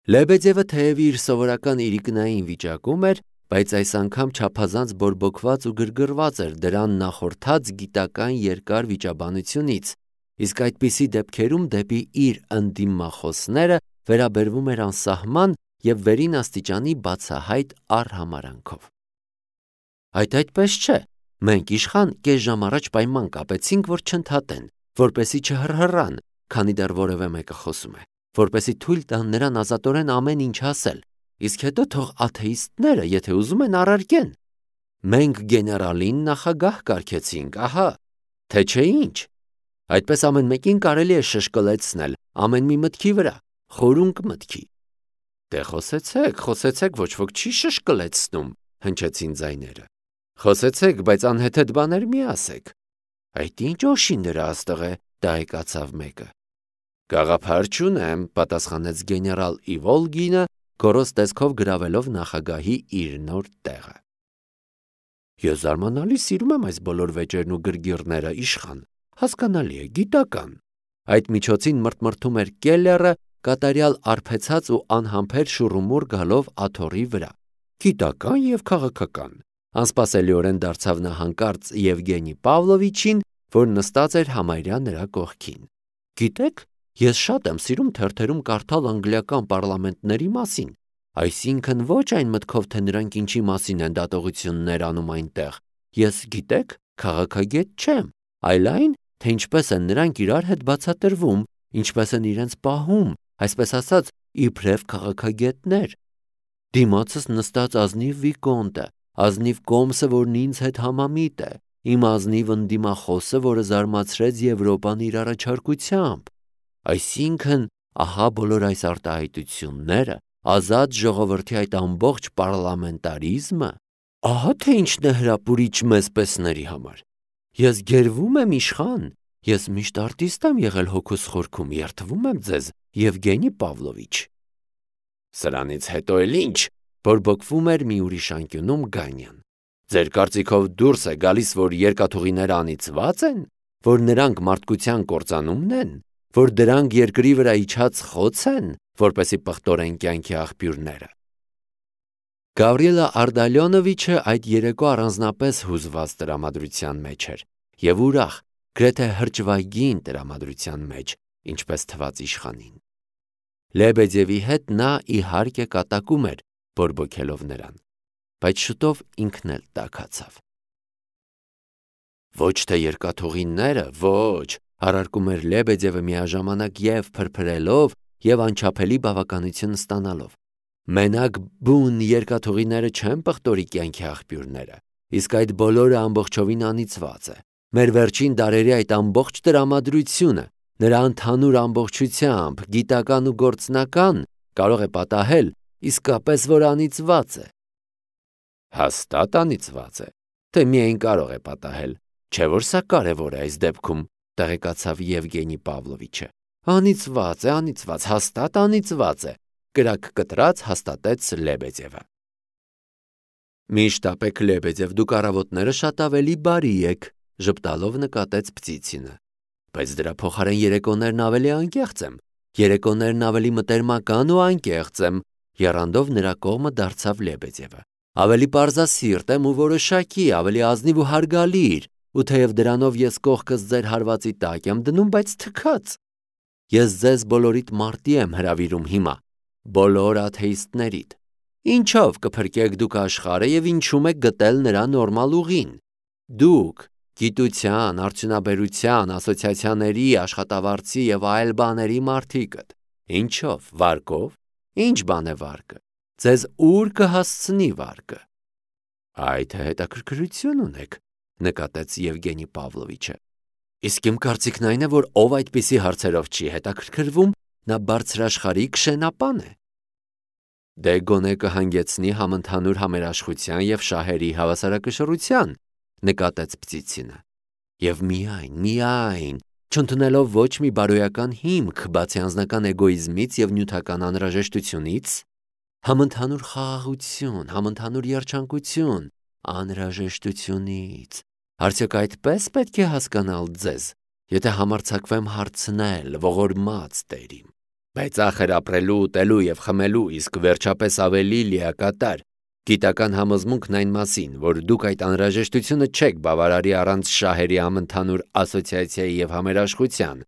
Լեբեդևը թեև իր սովորական իրիկնային վիճակում էր, բայց այս անգամ չափազանց բորբոքված ու գրգռված էր դրան նախորդած գիտական երկար վիճաբանությունից, իսկ այդպիսի դեպքերում դեպի իր ընդդիմախոսները վերաբերվում էր անսահման և վերին աստիճանի բացահայտ առհամարանքով։ Այդ այդպես չէ, մենք իշխան կես ժամ առաջ պայման կապեցինք, որ չընդհատեն, որպեսզի չհռհռան, քանի դեռ որևէ մեկը խոսում է, որպեսզի թույլ տան նրան ազատորեն ամեն ինչ ասել, իսկ հետո թող աթեիստները, եթե ուզում են, առարկեն։ Մենք գեներալին նախագահ կարգեցինք, ահա, թե չէ ինչ։ Այդպես ամեն մեկին կարելի է շշկլեցնել, ամեն մի մտքի վրա, խորունկ մտքի։ Դե խոսեցեք, ոչ ոք չի շշկլեցնում, հնչեցին ձայները։ Խոսեցեք, բայց անհեթեթ բաներ մի ասեք։ Այդ ինչ օշին դրա աստղ է, դահեկացավ մեկը։ Գաղափար չունեմ, պատասխանեց գեներալ Իվոլգինը, գոռոզ տեսքով գրավելով նախագահի իր նոր տեղը։ Ես զարմանալի սիրում եմ այս բոլոր վեճերն ու գրգիռները, իշխան, հասկանալի է, գիտական։ Այդ միջոցին մրթմրթում էր Կելլերը, կատարյալ արբեցած ու անհամբեր շուռումուռ գալով աթոռի վրա։ Գիտական և քաղաքական։ Անսպասելիորեն դարձավ նա հանկարծ Եվգենի Պավլովիչին, որ նստած էր համարյա նրա կողքին։ Գիտեք, ես շատ եմ սիրում թերթերում կարդալ անգլիական պարլամենտների մասին, այսինքն ոչ այն մտքով, թե նրանք ինչի մասին են դատողություններ անում այնտեղ։ Ես, գիտեք, քաղաքագետ չեմ, այլ այն, թե ինչպես են նրանք իրար հետ բացատրվում, ինչպես են իրենց պահում, այսպես ասած, իբրև քաղաքագետներ։ Դիմացս նստած ազնիվ վիկոնտը, ազնիվ կոմսը, որն ինձ հետ համամիտ է, իմ ազնիվ ընդդիմախոսը, որը զարմացրեց Եվրոպան իր առաջարկությամբ։ Այսինքն, ահա բոլոր այս արտահայտությունները, ազատ ժողովրդի այդ ամբողջ պարլամենտարիզմը, ահա թե ինչն է հրապուրիչ մեզ պեսների համար։ Ես գերվում եմ, իշխան, ես միշտ արտիստ եմ եղել հոգուս խորքում, երդվում եմ ձեզ, Եվգենի Պավլովիչ։ Սրանից հետո էլ ինչ, բորբոքվում էր մի ուրիշ անկյունում Գանյան։ Ձեր կարծիքով դուրս է գալիս, որ երկաթուղիները անիծված են, որ նրանք մարդկության կործանումն են, որ դրանք երկրի վրա իջած խոց են, որպեսզի պղտորեն կյանքի աղբյուրները։ Գավրիելա Արդալյոնովիչը այդ երեկո առանձնապես հուզված տրամադրության մեջ էր և ուրախ, գրեթե հրճվագին տրամադրության մեջ, ինչպես թվաց իշխանին։ Լեբեդևի հետ նա իհարկե կատակում էր, բորբոքելով նրան, բայց շուտով ինքն էլ տաքացավ։ Ոչ թե երկաթուղիները, ոչ, առարկում էր Լեբեդևը միաժամանակ և փրփրելով և անչափելի բավականություն ստանալով։ Մենակ բուն երկաթուղիները չեն պղտորի կյանքի աղբյուրները, իսկ այդ բոլորը ամբողջովին անիծված է։ Մեր վերջին դարերի այդ ամբողջ տրամադրությունը, նրա ընդհանուր ամբողջությամբ, գիտական ու գործնական, կարող է պատահել, իսկապես որ անիծված է։ Հաստատ անիծված է, թե միայն կարող է պատահել, չէ որ սա կարևոր է այս դեպքում, տեղեկացավ Եվգենի Պավլովիչը։ Անիծված, հաստատ անիծված է, կրակ կտրած հաստատեց Լեբեդևը։ Միշտ ապեք Լեբեդև, դուք առավոտները շատ ավելի բարի եք, ժպտալով նկատեց Պտիցինը։ Բայց դրա փոխարեն երեկոներն ավելի անկեղծ եմ, երեկոներն ավելի մտերմական ու անկեղծ եմ, եռանդով նրա կողմը դարձավ Լեբեդևը։ Ավելի պարզասիրտ եմ ու որոշակի, ավելի ազնիվ ու հարգալիր, ու թեև դրանով ես կողքս ձեր հարվածի տակ եմ դնում, բայց թքած։ Ես ձեզ բոլորիդ մարտի եմ հրավիրում հիմա, բոլոր աթեիստներիդ։ Ինչով կփրկեք դուք աշխարհը և ինչում եք գտել նրա նորմալ ուղին։ Դուք գիտության, արդյունաբերության, ասոցիացիաների, աշխատավարձի և այլ բաների մարդիկդ։ Ինչով, վարկով։ Ինչ բան է վարկը։ Ձեզ ուր կհասցնի վարկը։ Այդ հետաքրքրություն ունեք, նկատեց Եվգենի Պավլովիչը։ Իսկ իմ կարծիքն այն է, որ ով այդպիսի հարցերով չի հետաքրքրվում, նա բարձրաշխարհիկ շենապան է։ Դե գոնե կհանգեցնի համընդհանուր համերաշխության և շահերի հավասարակշռության, նկատեց Պտիցինը։ Եվ միայն, չընդունելով ոչ մի բարոյական հիմք, բացի անձնական էգոիզմից և նյութական անհրաժեշտությունից, համընդհանուր խաղաղություն, համընդհանուր երջանկություն, անհրաժեշտությունից։ Արդյոք այդպես պետք է հասկանալ ձեզ, եթե համարձակվեմ հարցնել ողորմած տերիմ։ Բայց ախր ապրելու, ուտելու եւ խմելու, իսկ վերջապես ավելի լիակատար գիտական համոզմունքն այն մասին, որ դուք այդ անհրաժեշտությունը չեք բավարարի առանց շահերի համընդհանուր ասոցիացիայի եւ համերաշխության,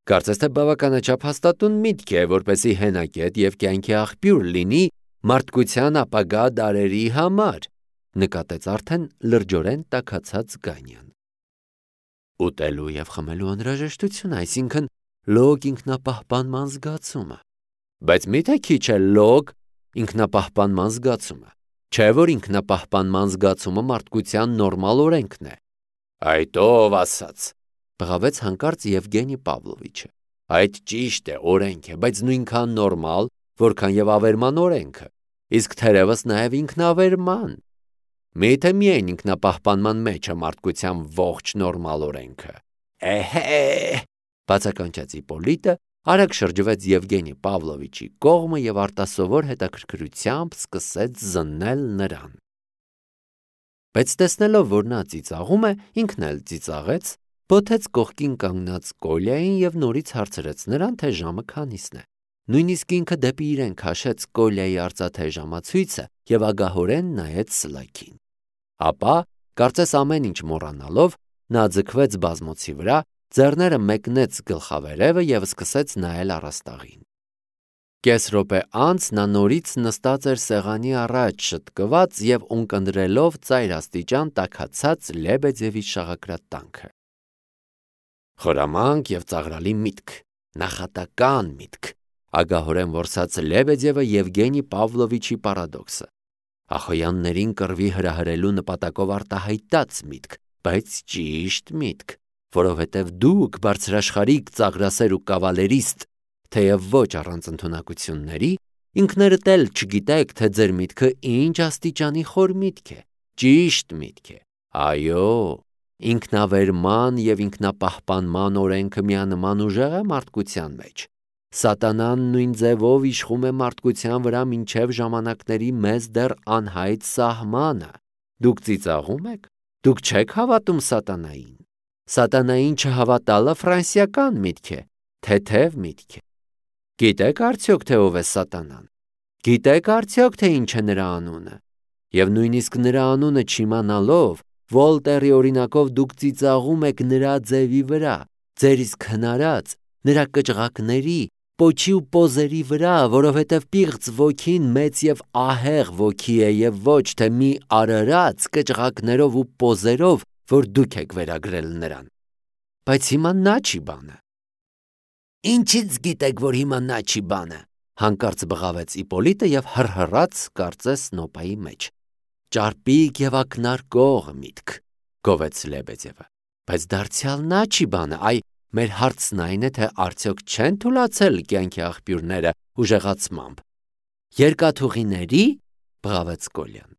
կարծես թե բավականաչափ հաստատուն միտք է, որպեսզի հենակետ եւ կյանքի աղբյուր լինի մարդկության ապագա դարերի համար, նկատեց արդեն լրջորեն տաքացած Գանյան։ Ուտելու եւ խմելու անհրաժեշտություն, այսինքն լոկ ինքնապահպանման զգացումը։ Բայց միթե քիչ է լոկ ինքնապահպանման զգացումը։ Չէ՞ որ ինքնապահպանման զգացումը մարդկության նորմալ օրենքն է։ Այդ ով ասաց, բղավեց հանկարծ Եվգենի Պավլովիչը։ Այդ ճիշտ է, օրենք է, բայց նույնքան նորմալ, որքան եւ ավերման օրենքը, իսկ թերևս նաեւ ինքնավերման։ Միթե միայն ինքնապահպանման մեջ է մարդկության ողջ նորմալ օրենքը։ Էհե, բացականչեց Իպոլիտը, արագ շրջվեց Եվգենի Պավլովիչի կողմը եւ արտասովոր հետաքրքրությամբ սկսեց զննել նրան։ Բայց տեսնելով, որ նա ծիծաղում է, ինքն էլ ծիծաղեց, բոթեց կողքին կանգնած Կոլյային եւ նորից հարցրեց նրան, թե ժամը քանիսն է։ Նույնիսկ ինքը դեպի իրեն քաշեց Կոլյայի արծաթե ժամացույցը եւ ագահորեն նայեց Սլաքին։ Ապա, կարծես ամեն ինչ մոռանալով, նա ձգվեց բազմոցի վրա, ձեռները մեկնեց գլխավերևը եւ սկսեց նայել առաստաղին։ Կես րոպե անց նա նորից նստած էր սեղանի առաջ շտկված եւ ունկնդրելով ծայրաստիճան տաքացած Լեբեդևի շաղակրատ տանքը։ Խորամանկ եւ ծաղրալի միտք, նախատական միտք, ագահորեն որսած Լեբեդևը Եվգենի Պավլովիչի պարադոքսը։ Ախոյաններին կռվի հրահրելու նպատակով արտահայտած միտք, բայց ճիշտ միտք, որովհետև դուք բարձրաշխարհիկ ծաղրասեր ու կավալերիստ, թեև ոչ առանց ընդունակությունների, ինքներդ էլ չգիտեք, թե ձեր միտքը ինչ աստիճանի խոր միտք է, ճիշտ միտք է։ Այո, ինքնավերման եւ ինքնապահպանման օրենքը միանման ուժեղ է մարդկության մեջ։ Սատանան նույն ձևով իշխում է մարդկության վրա մինչև ժամանակների մեզ դեռ անհայտ սահմանը։ Դուք ծիծաղում եք։ Դուք չեք հավատում սատանային։ Սատանային չհավատալը ֆրանսիական միտք է, թեթև միտք է։ Գիտեք արդյոք թե ով է սատանան։ Գիտեք արդյոք թե ինչ է նրա անունը։ Եվ նույնիսկ նրա անունը չիմանալով, Վոլտերի օրինակով դուք ծիծաղում եք նրա ձևի վրա, ձեր իսկ հնարած, նրա կճղակների, պոչի ու պոզերի վրա, որովհետև պիղծ ոգին մեծ եւ ահեղ ոգի է եւ ոչ թե մի արարած կճղակներով ու պոզերով, որ դուք եք վերագրել նրան։ Բայց հիմա նա չի բանը։ Ինչից գիտեք, որ հիմա նա չի բանը, հանկարծ բղավեց Իպոլիտը եւ հռհռաց կարծես նոպայի մեջ։ Ճարպիկ եւ ակնարկող միտք, գովեց Լեբեդևը։ Բայց դարձյալ նա չի բանը, այ մեր հարցն այն է, թե արդյոք չեն թուլացել կյանքի աղբյուրները ուժեղացմամբ։ Երկաթուղիների, բղավեց Կոլյան։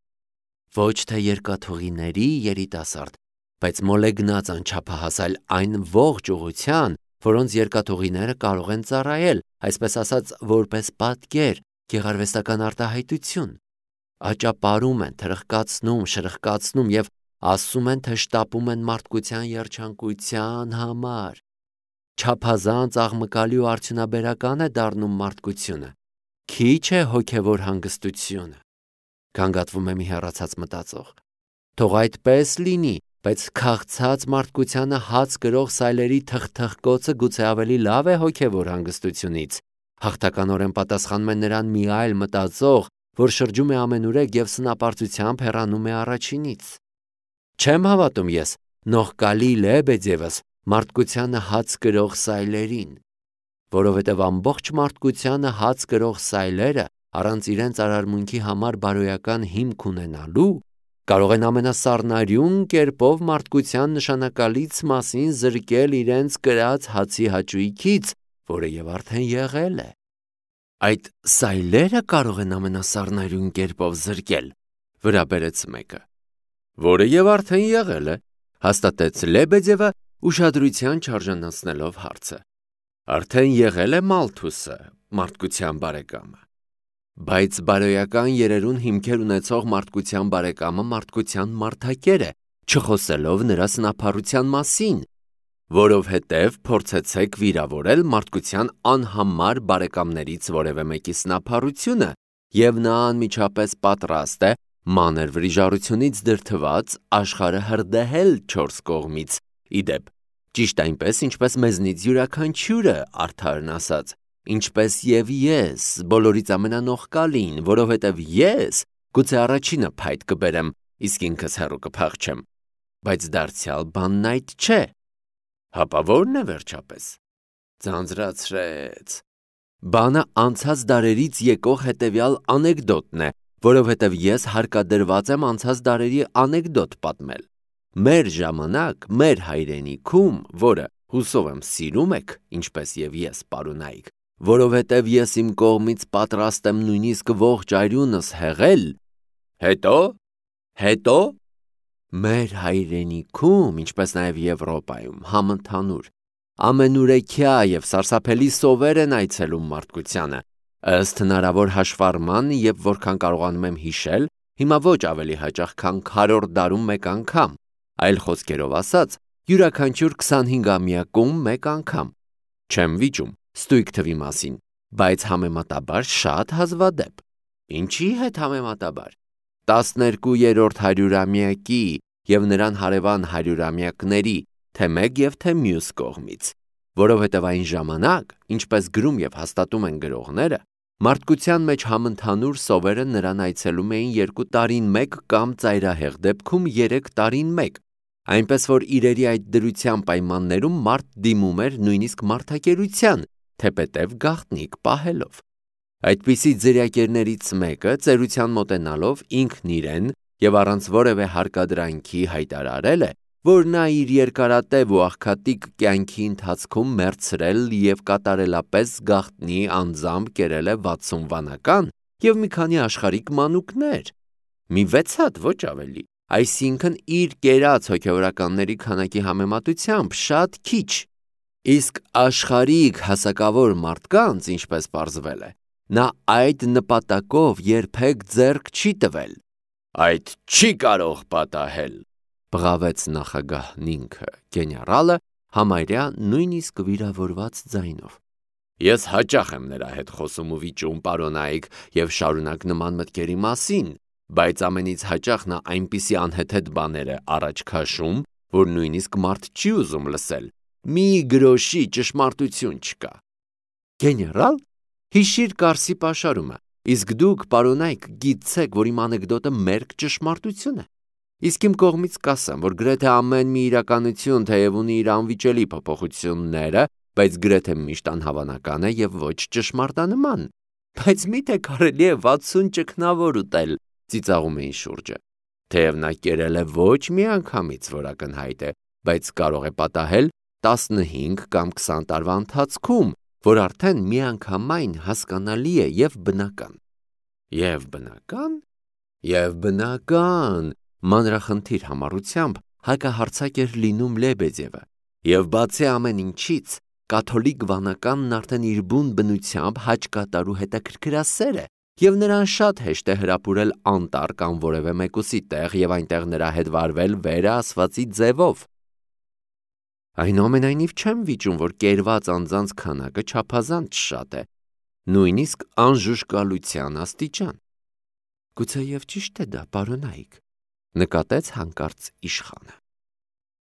Ոչ թե երկաթուղիների երիտասարդ, բայց մոլեգնած անչափահասալ այն ողջ ուղղության, որոնց երկաթուղիները կարող են ծառայել, այսպես ասած, որպես պատկեր, գեղարվեստական արտահայտություն։ Աճապարում են, թրխկացնում, շրխկացնում եւ ասում են, թե շտապում են մարդկության երջանկության համար։ Չափազանց աղմկալի ու արդյունաբերական է դառնում մարդկությունը։ Քիչ է հոգևոր հանգստությունը։ Գանգատվում է մի հեռացած մտածող։ Թող այդպես լինի, բայց քաղցած մարդկությանը հաց գրող սայլերի թխթխկոցը գուցե ավելի լավ է հոգևոր հանգստությունից։ Հաղթականորեն պատասխանում է նրան մի այլ մտածող, որ շրջում է ամենուրեք եւ սնապարծությամբ հեռանում է առաջինից։ Չեմ հավատում ես նողկալի Լեբեդևս մարդկությանը հաց գրող սայլերին, որովհետև ամբողջ մարդկությանը հաց գրող սայլերը առանց իրենց արարմունքի համար բարոյական հիմք ունենալու կարող են ամենասառնարյուն կերպով մարդկության նշանակալից մասին զրկել իրենց կրած հացի հաճույքից, որը եւ արդեն եղել է։ Այդ սայլերը կարող են ամենասառնարյուն կերպով զրկել, վրա բերեց մեկը, որը եւ արդեն եղել է, հաստատեց Լեբեդևը ուշադրության չարժանացնելով հարցը։ Արդեն եղել է Մալթուսը, մարդկության բարեկամը։ Բայց բարոյական երերուն հիմքեր ունեցող մարդկության բարեկամը մարդկության մարդակեր է, չխոսելով նրա սնափառության մասին։ որովհետև փորձեցեք վիրավորել մարդկության անհամար բարեկամներից որևէ մեկի սնափառությունը, և նա անմիջապես պատրաստ է մանր վրիժառությունից դրդված աշխարհը հրդեհել 4 կողմից, իդեպ, ճիշտ այնպես, ինչպես մեզնից յուրաքանչյուրը, արդարն ասած, ինչպես և ես, բոլորից ամենանողկալին, որովհետև ես գուցե առաջինը փայտ կբերեմ, իսկ ինքս հեռու կփախչեմ, բայց դարձյալ բանն այդ չէ, հապա ո՞րն է վերջապես, ձանձրացրեց, բանը անցած դարերից եկող հետևյալ անեկդոտն է, որովհետև ես հարկադրված եմ անցած դարերի անեկդոտ պատմել, մեր ժամանակ, մեր հայրենիքում, որը հուսով եմ սիրում եք, ինչպես և ես պարոնայք, որովհետև ես իմ կողմից պատրաստ եմ նույնիսկ ողջ արյունս հեղել, հետո, մեր հայրենիքում, ինչպես նաև Եվրոպայում, համընդհանուր, ամենուրեքյա և սարսափելի սովեր են այցելում մարդկությանը, ըստ հնարավոր հաշվառման և որքան կարողանում եմ հիշել, հիմա ոչ ավելի հաճախ, քան քառորդ դարում մեկ անգամ, այլ խոսքերով ասած, յուրաքանչյուր 25-ամյակում մեկ անգամ, չեմ վիճում, ստույգ թվի մասին, բայց համեմատաբար շատ հազվադեպ, ինչի հետ համեմատաբար, 12-րդ հարյուրամյակի և նրան հարևան հարյուրամյակների, թե մեկ և թե մյուս կողմից, որովհետև այն ժամանակ, ինչպես գրում և հաստատում են գրողները, մարդկության մեջ համընդհանուր սովերը նրան այցելում էին 2 տարին մեկ կամ ծայրահեղ դեպքում 3 տարին մեկ, այնպես որ իրերի այդ դրության պայմաններում մարդ դիմում էր նույնիսկ մարդակերության, թեպետև գաղտնիք պահելով։ Այդպիսի ձրիակերներից մեկը ծերության մոտենալով ինքն իրեն և առանց որևէ հարկադրանքի հայտարարել է, որ նա իր երկարատև ու աղքատիկ կյանքի ընթացքում մեռցրել և կատարելապես գաղտնի անձամբ կերել է 60 վանական և մի քանի աշխարհիկ մանուկներ, մի 6 հատ, ոչ ավելի, այսինքն իր կերած հոգևորականների քանակի համեմատությամբ շատ քիչ, իսկ աշխարհիկ հասակավոր մարդկանց, ինչպես պարզվել է, նա այդ նպատակով երբեք ձեռք չի տվել, այդ չի կարող պատահել, բղավեց նախագահն ինքը, գեներալը, համարյա նույնիսկ վիրավորված ձայնով, ես հաճախ եմ նրա հետ խոսում ու վիճում, պարոնայք, և շարունակ նման մտքերի մասին, բայց ամենից հաճախ նա այնպիսի անհեթեթ բաներ է առաջ քաշում, որ նույնիսկ մարդ չի ուզում լսել, մի գրոշի ճշմարտություն չկա, գեներալ, հիշիր Կարսի պաշարումը, իսկ դուք, պարոնայք, գիտցեք, որ իմ անեկդոտը մերկ ճշմարտություն է, իսկ իմ կողմից կասեմ, որ գրեթե ամեն մի իրականություն թեև ունի իր անվիճելի փոփոխությունները, բայց գրեթե միշտ անհավանական է և ոչ ճշմարտանման, բայց միթե կարելի է 60 ճգնավոր ուտել, ծիծաղում էին շուրջը, թեև նա կերել է ոչ մի անգամից, որ ակնհայտ է, բայց կարող է պատահել 15 կամ 20 տարվա ընթացքում, որ արդեն միանգամայն հասկանալի է և բնական։ Եվ բնական, մանրախնդիր համառությամբ հակահարձակ էր լինում Լեբեդևը, և բացի ամեն ինչից, կաթոլիկ վանականն արդեն իր բուն բնությամբ հաճկատար ու հետաքրքրասեր է, և նրան շատ հեշտ է հրապուրել անտառ կամ որևէ մեկուսի տեղ և այնտեղ նրա հետ վարվել վերը ասվածի ձևով։ Այնուամենայնիվ չեմ վիճում, որ կերված անձանց քանակը չափազանց շատ է, նույնիսկ անժուժկալության աստիճան։ Գուցեև ճիշտ է դա, պարոնայք, նկատեց հանկարծ իշխանը։